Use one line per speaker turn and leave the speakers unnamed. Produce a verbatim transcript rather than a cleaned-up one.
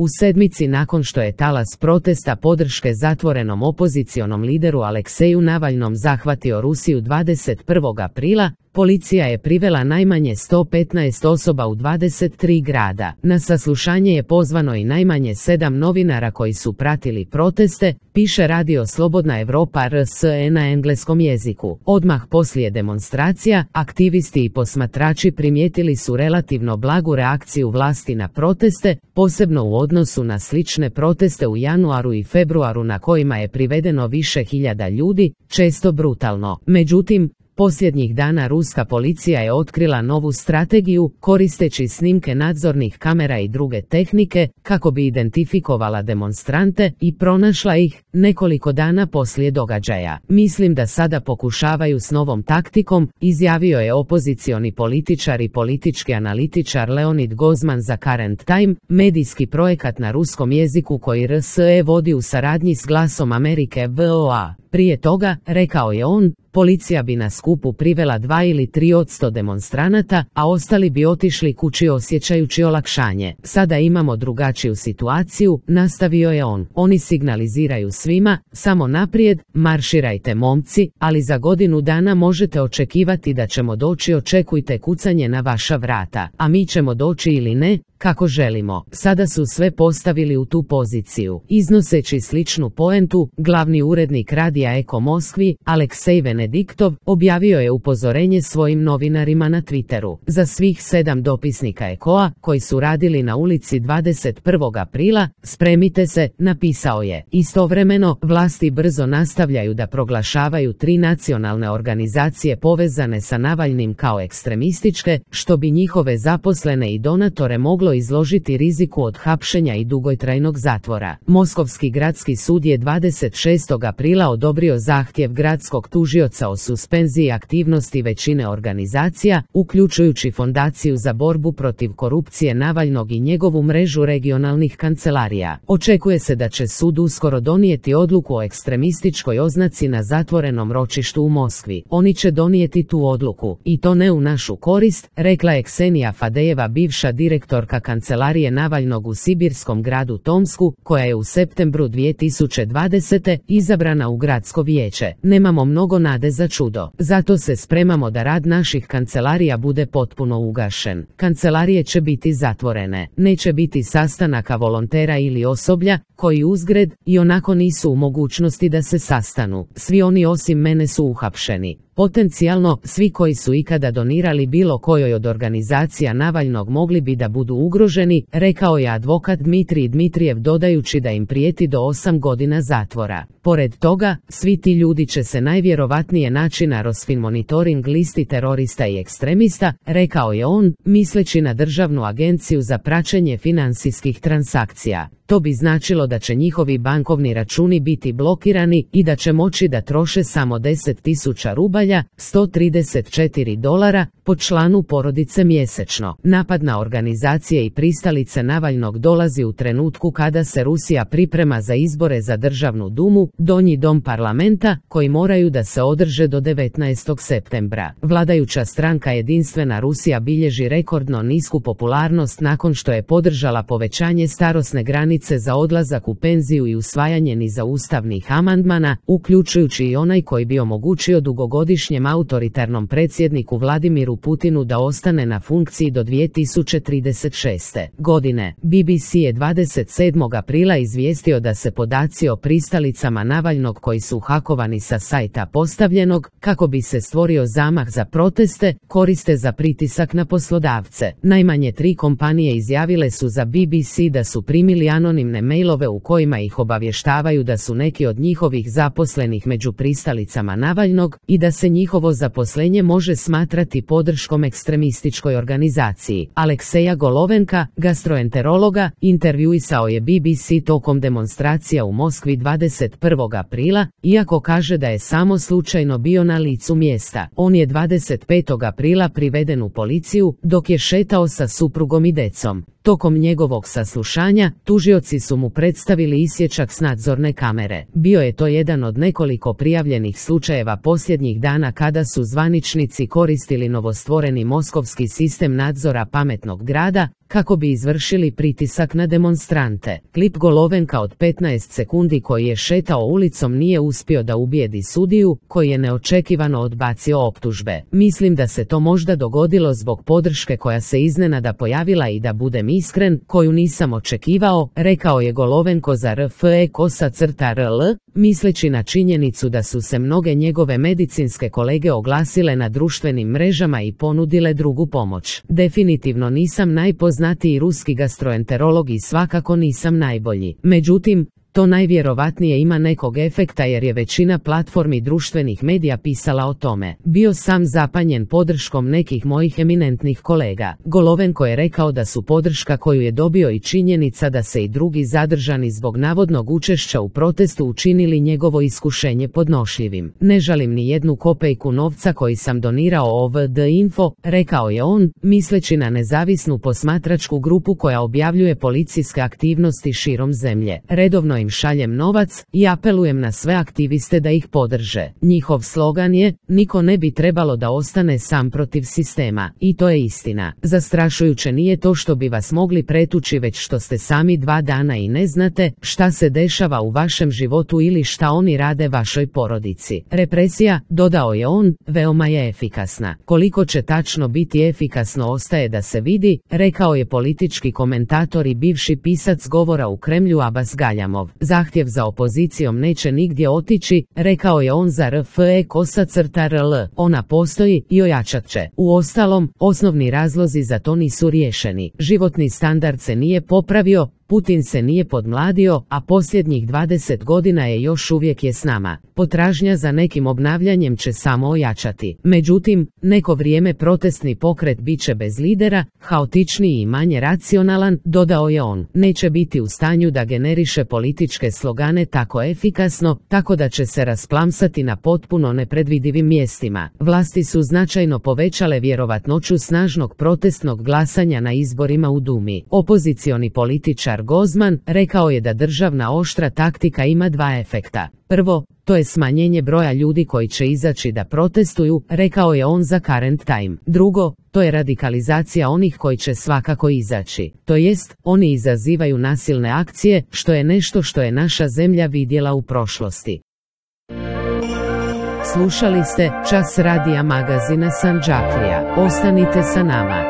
U sedmici nakon što je talas protesta podrške zatvorenom opozicionom lideru Alekseju Navalnom zahvatio Rusiju dvadeset prvog aprila, policija je privela najmanje sto petnaest osoba u dvadeset tri grada. Na saslušanje je pozvano i najmanje sedam novinara koji su pratili proteste, piše Radio Slobodna Evropa R S E na engleskom jeziku. Odmah poslije demonstracija, aktivisti i posmatrači primijetili su relativno blagu reakciju vlasti na proteste, posebno u odnosu na slične proteste u januaru i februaru na kojima je privedeno više hiljada ljudi, često brutalno. Međutim, posljednjih dana ruska policija je otkrila novu strategiju, koristeći snimke nadzornih kamera i druge tehnike, kako bi identifikovala demonstrante i pronašla ih nekoliko dana poslije događaja. Mislim da sada pokušavaju s novom taktikom, izjavio je opozicioni političar i politički analitičar Leonid Gozman za Current Time, medijski projekat na ruskom jeziku koji R S E vodi u saradnji s Glasom Amerike V O A. Prije toga, rekao je on, policija bi na skupu privela dva ili tri odsto demonstranata, a ostali bi otišli kući osjećajući olakšanje. Sada imamo drugačiju situaciju, nastavio je on. Oni signaliziraju svima, samo naprijed, marširajte momci, ali za godinu dana možete očekivati da ćemo doći, očekujte kucanje na vaša vrata, a mi ćemo doći ili ne, kako želimo. Sada su sve postavili u tu poziciju. Iznoseći sličnu poentu, glavni urednik radija Eko Moskvi, Aleksej Venediktov, objavio je upozorenje svojim novinarima na Twitteru. Za svih sedam dopisnika Ekoa, koji su radili na ulici dvadeset prvog aprila, spremite se, napisao je. Istovremeno, vlasti brzo nastavljaju da proglašavaju tri nacionalne organizacije povezane sa Navalnim kao ekstremističke, što bi njihove zaposlene i donatore moglo izložiti riziku od hapšenja i dugotrajnog zatvora. Moskovski gradski sud je dvadeset šestog aprila odobrio zahtjev gradskog tužioca o suspenziji aktivnosti većine organizacija, uključujući Fondaciju za borbu protiv korupcije Navalnog i njegovu mrežu regionalnih kancelarija. Očekuje se da će sud uskoro donijeti odluku o ekstremističkoj oznaci na zatvorenom ročištu u Moskvi. Oni će donijeti tu odluku, i to ne u našu korist, rekla je Ksenija Fadejeva, bivša direktorka kancelarije Navalnog u sibirskom gradu Tomsku, koja je u septembru dvije tisuće dvadesete izabrana u gradsko vijeće. Nemamo mnogo nade za čudo. Zato se spremamo da rad naših kancelarija bude potpuno ugašen. Kancelarije će biti zatvorene. Neće biti sastanaka volontera ili osoblja, koji uzgred i onako nisu u mogućnosti da se sastanu. Svi oni osim mene su uhapšeni. Potencijalno, svi koji su ikada donirali bilo kojoj od organizacija Navalnog mogli bi da budu ugroženi, rekao je advokat Dmitrij Dmitrijev, dodajući da im prijeti do osam godina zatvora. Pored toga, svi ti ljudi će se najvjerovatnije naći na Rosfinmonitoring listi terorista i ekstremista, rekao je on, misleći na Državnu agenciju za praćenje financijskih transakcija. To bi značilo da će njihovi bankovni računi biti blokirani i da će moći da troše samo deset tisuća rubalja, sto trideset četiri dolara, po članu porodice mjesečno. Napad na organizacije i pristalice Navalnog dolazi u trenutku kada se Rusija priprema za izbore za Državnu dumu, donji dom parlamenta, koji moraju da se održe do devetnaestog septembra. Vladajuća stranka Jedinstvena Rusija bilježi rekordno nisku popularnost nakon što je podržala povećanje starosne granice za odlazak u penziju i usvajanje niza ustavnih amandmana, uključujući i onaj koji bi omogućio dugogodišnjem autoritarnom predsjedniku Vladimiru Putinu da ostane na funkciji do dvije tisuće trideset šeste. godine. B B C je dvadeset sedmog aprila izvijestio da se podaci o pristalicama Navalnog koji su hakovani sa sajta postavljenog, kako bi se stvorio zamah za proteste, koriste za pritisak na poslodavce. Najmanje tri kompanije izjavile su za B B C da su primili anonimne mailove u kojima ih obavještavaju da su neki od njihovih zaposlenih među pristalicama Navalnog i da se njihovo zaposlenje može smatrati podrškom ekstremističkoj organizaciji. Alekseja Golovenka, gastroenterologa, intervjuisao je B B C tokom demonstracija u Moskvi dvadeset prvog aprila, iako kaže da je samo slučajno bio na licu mjesta. On je dvadeset petog aprila priveden u policiju dok je šetao sa suprugom i decom. Tokom njegovog saslušanja, tužioci su mu predstavili isječak s nadzorne kamere. Bio je to jedan od nekoliko prijavljenih slučajeva posljednjih dana kada su zvaničnici koristili novostvoreni moskovski sistem nadzora pametnog grada, kako bi izvršili pritisak na demonstrante. Klip Golovenka od petnaest sekundi koji je šetao ulicom nije uspio da ubijedi sudiju, koji je neočekivano odbacio optužbe. Mislim da se to možda dogodilo zbog podrške koja se iznenada pojavila i da budem iskren, koju nisam očekivao, rekao je Golovenko za R F E kosa crta R L, misleći na činjenicu da su se mnoge njegove medicinske kolege oglasile na društvenim mrežama i ponudile drugu pomoć. Definitivno nisam najpoznatiji ruski gastroenterolog i svakako nisam najbolji. Međutim, to najvjerovatnije ima nekog efekta jer je većina platformi društvenih medija pisala o tome. Bio sam zapanjen podrškom nekih mojih eminentnih kolega. Golovenko je rekao da su podrška koju je dobio i činjenica da se i drugi zadržani zbog navodnog učešća u protestu učinili njegovo iskušenje podnošljivim. Ne žalim ni jednu kopejku novca koji sam donirao O V D Info, rekao je on, misleći na nezavisnu posmatračku grupu koja objavljuje policijske aktivnosti širom zemlje. Redovno im šaljem novac i apelujem na sve aktiviste da ih podrže. Njihov slogan je, niko ne bi trebalo da ostane sam protiv sistema. I to je istina. Zastrašujuće nije to što bi vas mogli pretući, već što ste sami dva dana i ne znate šta se dešava u vašem životu ili šta oni rade vašoj porodici. Represija, dodao je on, veoma je efikasna. Koliko će tačno biti efikasno ostaje da se vidi, rekao je politički komentator i bivši pisac govora u Kremlju Abbas Galjamov. Zahtjev za opozicijom neće nigdje otići, rekao je on za R F E kosa crta R L. Ona postoji i ojačat će. Uostalom, osnovni razlozi za to nisu riješeni. Životni standard se nije popravio, Putin se nije podmladio, a posljednjih dvadeset godina je još uvijek je s nama. Potražnja za nekim obnavljanjem će samo ojačati. Međutim, neko vrijeme protestni pokret bit će bez lidera, haotičniji i manje racionalan, dodao je on. Neće biti u stanju da generiše političke slogane tako efikasno, tako da će se rasplamsati na potpuno nepredvidivim mjestima. Vlasti su značajno povećale vjerovatnoću snažnog protestnog glasanja na izborima u Dumi. Opozicioni političar Gozman rekao je da državna oštra taktika ima dva efekta. Prvo, to je smanjenje broja ljudi koji će izaći da protestuju, rekao je on za Current Time. Drugo, to je radikalizacija onih koji će svakako izaći. To jest, oni izazivaju nasilne akcije, što je nešto što je naša zemlja vidjela u prošlosti. Slušali ste Čas radija magazina Sandžaklija. Ostanite sa nama.